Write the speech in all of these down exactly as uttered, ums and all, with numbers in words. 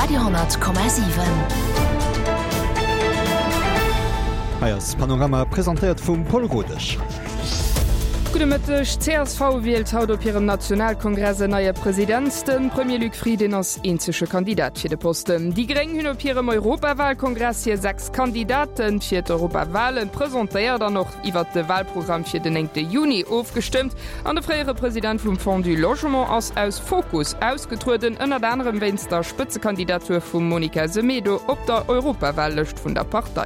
Radio honnert Komma siwen. Hei ass Panorama, presentéiert vum Paul Rodesch. Gudde Mëtteg, Csv wielt haut op hirem Nationalkongress en neie President. De Premier Luc Frieden ass eenzege Kandidat fir de Posten. Déi Gréng hunn op hirem Europawahlkongress hir sechs Kandidate fir d'Europawahlen presentéiert an och iwwert de Wahlprogramm fir den néngte Juni ofgestëmmt. An de fréiere President vum Fonds du Logement ass aus Fokus ausgetrueden, ënnert anerem wéinst der Spëtzekandidatur vum Monica Semedo op der Europawahllëscht vun der Partei.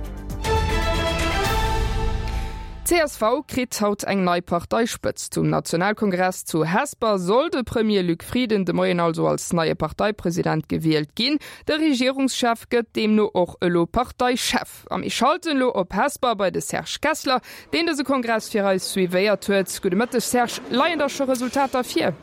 Csv kritt haut eng nei Parteispëtzt. Zum Nationalkongress zu Hesper soll de Premier Luc Frieden de Moien also als neie Parteipresident gewielt ginn. De Regierungschef gëtt deemno och elo Parteichef. A mir schalten elo op Hesper bei de Serge Kessler, deen dëse Kongress fir eis suivéiert huet. Gudde Mëtteg Serge, leien da scho Resultater vir?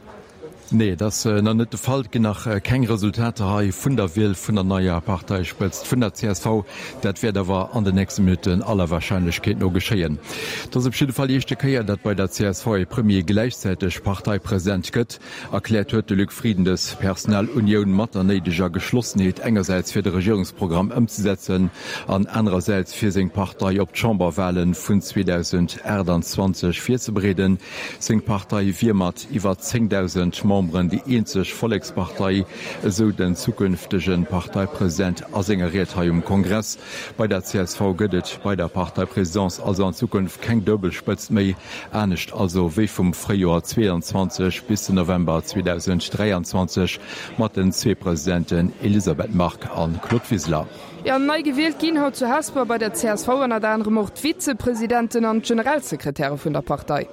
Nee, et ass nach net de Fall. Et ginn nach keng Resultater hei vun der Wiel vun der neier Parteispëtzt vun der csv. Dat wäert awer an den nächste Minutten aller Warscheinlechkeet no geschéien. Et ass op jidde Fall déi éischte Kéier, datt bei der csv ee Premier gläichzäiteg Parteipresident gëtt. Erkläert huet de Luc Frieden dës Personalunioun mat der néideger Geschlossenheet, engersäits fir de Regierungsprogramm ëmzesetzen an anerersäits fir seng Partei op d'Chamberwale vun zweedausendachtanzwanzeg virzebereeden. Seng Partei wier mat iwwer zéngdausend Memberen déi eenzeg Vollekspartei, esou den zukünftege Parteipresident a senger Ried hei um Kongress. Bei der csv gëtt et bei der Parteipresidence also an Zukunft keng duebel Spëtzt méi, anescht also wéi vum Fréijoer zweeanzwanzeg bis den November zweedausend dräianzwanzeg mat den zwee Presidenten Elisabeth Margue a Claude Wiseler. Jo, nei gewielt ginn haut zu Hesper bei der csv ënnert anerem och d'Vizepresidenten an d'Generalsekretäre vun der Partei.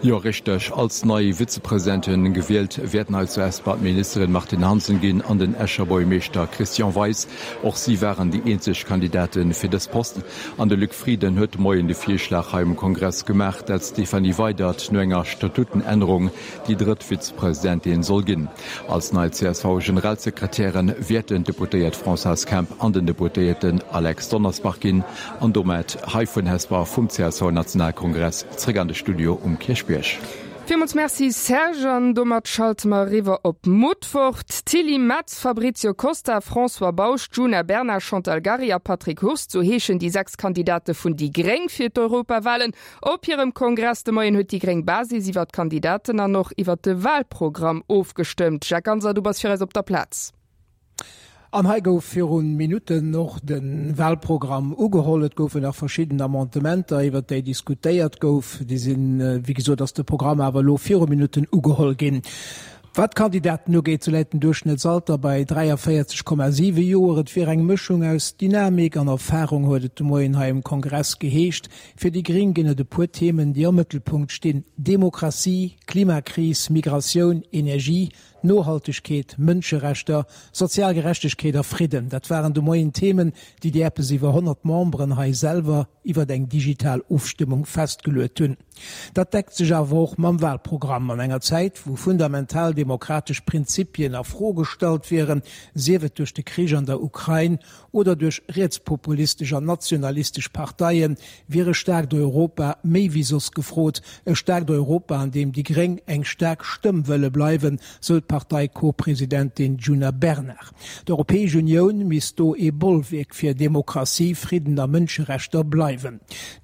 Jo, richteg. Als nei Vizepresidenten gewielt wäerten hei zu Hesper d'Ministerin Martine Hansen ginn an den Escher Buergermeeschter Christian Weis. Och si waren déi eenzeg Kandidate fir dës Posten. An de Luc Frieden huet de Moien de Virschlag hei um Kongress gemaach, dat d'Stéphanie Weydert no enger Statutenännerung déi drëtt Vizepresidentin soll ginn. Als nei C S V-Generalsekretäre wäerten d'Deputéiert Françoise Kemp an den Deputéierten Alex Donnersbach ginn. An domat hei vun Hesper vum C S V-Nationalkongress zréck an de Studio um Kierchbierg. Villmools Merci Serge, an domat schalte mer eriwwer op Mutfert. Tilly Metz, Fabrizio Costa, François Bausch, Djuna Bernard, Chantal Gary a Patrick Hurst, sou heeschen déi sechs Kandidate vun déi Gréng fir d'Europawalen. Op hirem Kongress de Moien huet déi gréng Basis iwwer d'Kandidaten an och iwwer de Walprogramm ofgestëmmt. Jacques Ganser, du bass fir eis op der Plaz. An hei gouf viru Minutten och de Walprogramm ugeholl. Et goufen nach verschidden Amendementer, iwwer déi diskutéiert gouf. Déi sinn, wéi gesot, ass de Programm awer elo viru Minutten ugeholl ginn. Wat d'Kandidaten ugeet, sou läit den Duerchschnëttsalter bei dräiavéierzeg Komma siwe Joer. Et wier eng Mëschung aus Dynamik an Erfarung, huet et de Moien hei um Kongress geheescht. Fir déi Gréng ginn et e puer Themen, déi am Mëttelpunkt stinn, Demokratie, Klimakris, Migratioun, Energie, Nohaltegkeet, Mënscherechter, sozial Gerechtegkeet a Fridden. Dat waren de Moien Themen, déi déi eppes iwwer honnert Memberen hei selwer iwwer eng digital Ofstëmmung festgeluet hunn. Dat deckt sech awer och mam Walprogramm. An enger Zäit, wou fundamental demokratesch Prinzipien a Fro gestallt wieren, sief et duerch de Krich an der Ukrain oder duerch rietspopulistesch an nationalistesch Parteien, wier e staarkt Europa méi wéi soss gefrot. E staarkt Europa, an deem déi Gréng eng staark Stëmm wëlle bleiwen, sou d'Partei-Co-Presidentin Djuna Bernard. D'Europäesch Unioun misst do ee Bollwierk fir Demokratie, Fridden a Mënscherechter bleiwen.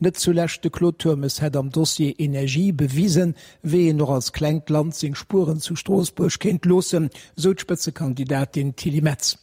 Net zulescht de Claude Turmes hätt am Dossier Energie bewisen, wéi een och als klengt Land seng Spueren zu Stroossbuerg kéint loossen, sou d'Spëtzekandidatin Tilly Metz.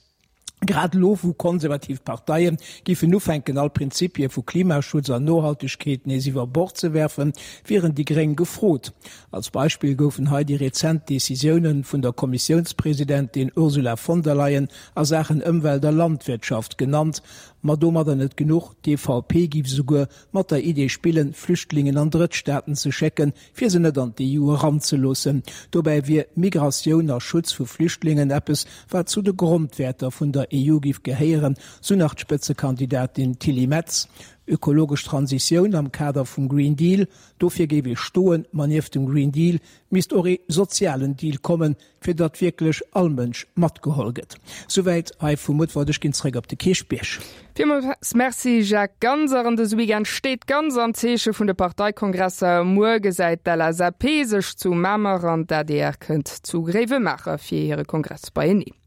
Grad elo, wou konservativ Parteie géifen ufänken, all Prinzipie vu Klimaschutz an Nohaltegkeet nees iwwer Bord ze werfen, wieren déi Gréng gefrot. Als Beispill goufen hei déi rezent Decisioune vun der Kommissiounspresidentin Ursula von der Leyen a Saachen Ëmwelt a Landwirtschaft genannt. Ma domadder net genuch, d'E V P géif esouguer mat der Idee spillen, Flüchtlingen an Drëttstaaten ze schécken, fir se net an d'E U eranzeloossen. Dobäi wier Migratioun a Schutz vu Flüchtlingen eppes, wat zu de Grondwäerter vun der E U géif gehéieren, sou nach d'Spëtzekandidatin Tilly Metz. Ökologesch Transitioun am Kader vum Green Deal, dofir géif ee stoen, ma nieft dem Green Deal misst och ee sozialen Deal kommen, fir datt wierklech all Mënsch matgeholl gëtt. Souwäit hei vu Mutfert, ech ginn zréck op de Kierchbierg. Villmools Merci Jacques Ganser. An dëse Weekend steet ganz am Zeeche vun de Parteikongresser. Muer gesäit d'L S A P sech zu Mamer an d'A D R kënnt zu Gréiwemaacher fir hire Kongress beieneen.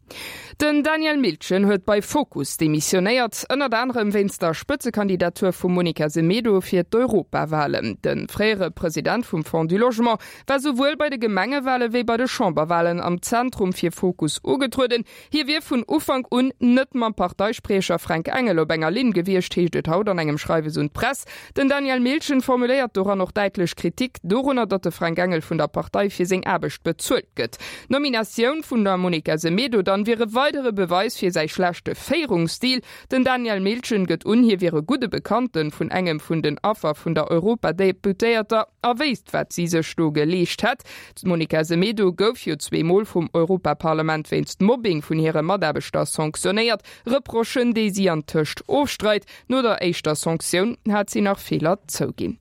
Den Daniel Miltgen huet bei Fokus demissionéiert, ënnert anerem wéinst der Spëtzekandidatur vum Monica Semedo fir d'Europawalen. De fréiere President vum Fonds du Logement war souwuel bei de Gemengewale wéi bei de Chamberwalen am Zentrum fir Fokus ugetrueden. Hie wier vun Ufank un net mam Parteispriecher Fränk Engel op enger Linn gewiescht, heescht et haut an engem Schreiwes un d'Press. Den Daniel Miltgen formuléiert doran och däitlech Kritik dorunner, datt de Fränk Engel vun der Partei fir seng Aarbecht bezuelt gëtt. D'Nominatioun vun der Monica Semedo dann wier e weidere Beweis fir säi schlechte Féierungsstil. Den Daniel Miltgen gëtt un, hie wier e gudde Bekannte vun engem vun den Affer vun der Europadeputéierter a wéisst, wat si sech do geleescht hätt. D'Monica Semedo gouf jo zwee Mol vum Europaparlament wéinst Mobbing vun hire Mataarbechter sanktionéiert, Reprochen, déi si antëscht ofstreit. No der éischter Sanktioun hat si nach Feeler zouginn.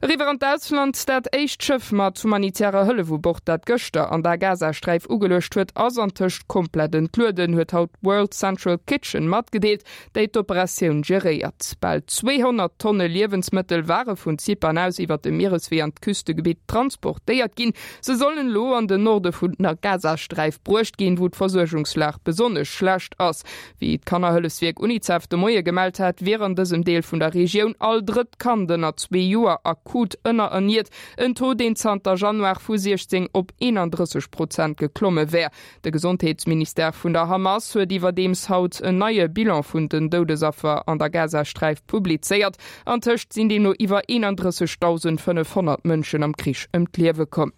Eriwwer an d'Ausland, Dat éischt Schëff mat humanitärer Hëllef u Bord, dat gëschter an der Gazasträif ugeluecht huet, ass antëscht komplett entlueden, huet haut d'World Central Kitchen matgedeelt, déi d'Operatioun geréiert. Bal zweehonnert Tonne Liewensmëttel ware vun Zypern aus iwwer de Miereswee an d'Küstegebitt transportéiert ginn. Se sollen elo an den Norde vun der Gazasträif bruecht ginn, wou d'Versuergungslag besonnesch schlecht ass. Wéi d'Kannerhëllefswierk Unicef de Moie gemellt hat, wier an dësem Deel vun der Regioun all drëtt Kand ënner zwee Joer akut ënnererniert, en Taux, deen zanter Januar vu siechzéng op eenandrësseg Prozent geklomme wär. De Gesondheetsministère vun der Hamas huet iwwerdeems haut en neie Bilan vun den Doudesaffer an der Gazasträif publizéiert. Antëscht sinn deemno iwwer eenandrëssegdausendfënnefhonnert Mënschen am Krich ëm d'Liewe komm.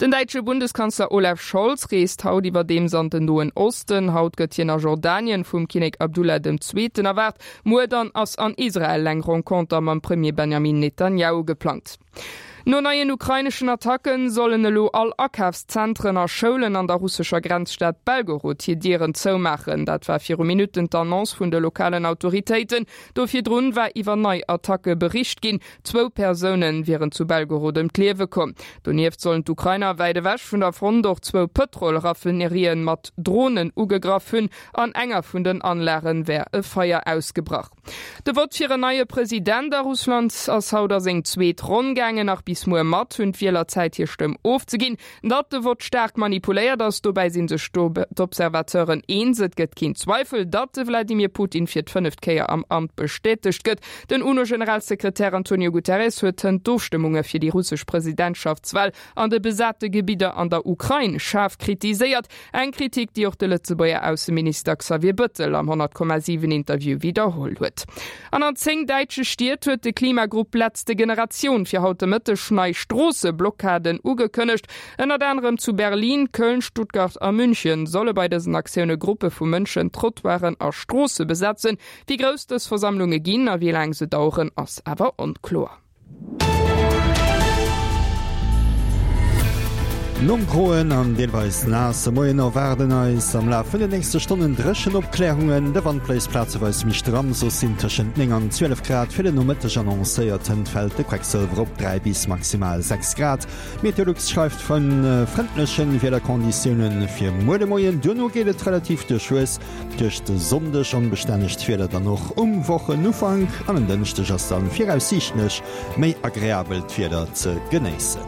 Den däitsche Bundeskanzler Olaf Scholz reest haut iwwerdeems an den Noen Osten. Haut gëtt hien a Jordanien vum Kinnek Abdullah dem Zweeten erwaart. Muer dann ass an Israel eng Renconter mam Premier Benjamin Netanjahu geplangt. No neien ukraineschen Attacke sollen elo all Akafszentren a Schoulen an der russescher Grenzstad Belgorod hir Dieren zoumaachen. Dat war viru Minutten d'Annonce vun de lokalen Autoritéiten. Do virdrun war iwwer nei Attacke bericht ginn. Zwou Persoune wieren zu Belgorod ëm d'Liewe komm. Donieft sollen d'Ukrainer wäit ewech vun der Front och zwou Pëtrol-Raffinerien mat Dronen ugegraff hunn. An enger vun den Anlage wär e Feier ausgebrach. De Vott fir en neie President a Russland ass haut a seng zweet Ronn gaangen. Nach bis muer mat hunn d'Wieler Zäit hir Stëmm ofzeginn. Datt de Vott staark manipuléiert ass, dobäi si sech d'Observateuren eens. Et gëtt keen Zweifel, datt de Wladimir Putin fir d'fënneft Kéier am Amt bestätegt gëtt. Den UNO-Generalsekretär Antonio Guterres huet hënt d'Ofstëmmunge fir déi russesch Presidentschaftswal an de besate Gebidder an der Ukrain schaarf kritiséiert. Eng Kritik, déi och de Lëtzebuerger Ausseminister Xavier Bëttel am honnert Komma siwen Interview widderholl huet. An an zéng däitsche Stied huet de Klimagrupp Letzte Generation fir haut de Mëtteg nei Stroosseblockaden ugekënnegt. Ënnert anerem zu Berlin, Köln, Stuttgart a München solle bei dësen Aktioune Gruppe vu Mënschen Trottoiren a Stroosse besetzen. Wéi grouss dës Versammlunge ginn a wéi laang se daueren, ass awer onkloer. Nom groen an deelweis naasse Moien erwaarden eis am Laf vun den nächste Stonnen dréchen Opklärungen. De Wand bléist plazeweis méi stramm, soss sinn tëschent néng an zwielef Grad fir den Nomëtteg annoncéiert. Hënt fält de Quecksëlwer op dräi bis maximal sechs Grad. Meteolux schreift vu frëndleche Wiederkonditioune fir muer de Moien. Duerno geet et relativ duerchwuess duerch de Sonndeg, onbestännegt Wieder dann och um Wochenufank an en Dënschdeg ass dann viraussiichtlech méi agreabelt Wieder ze genéissen.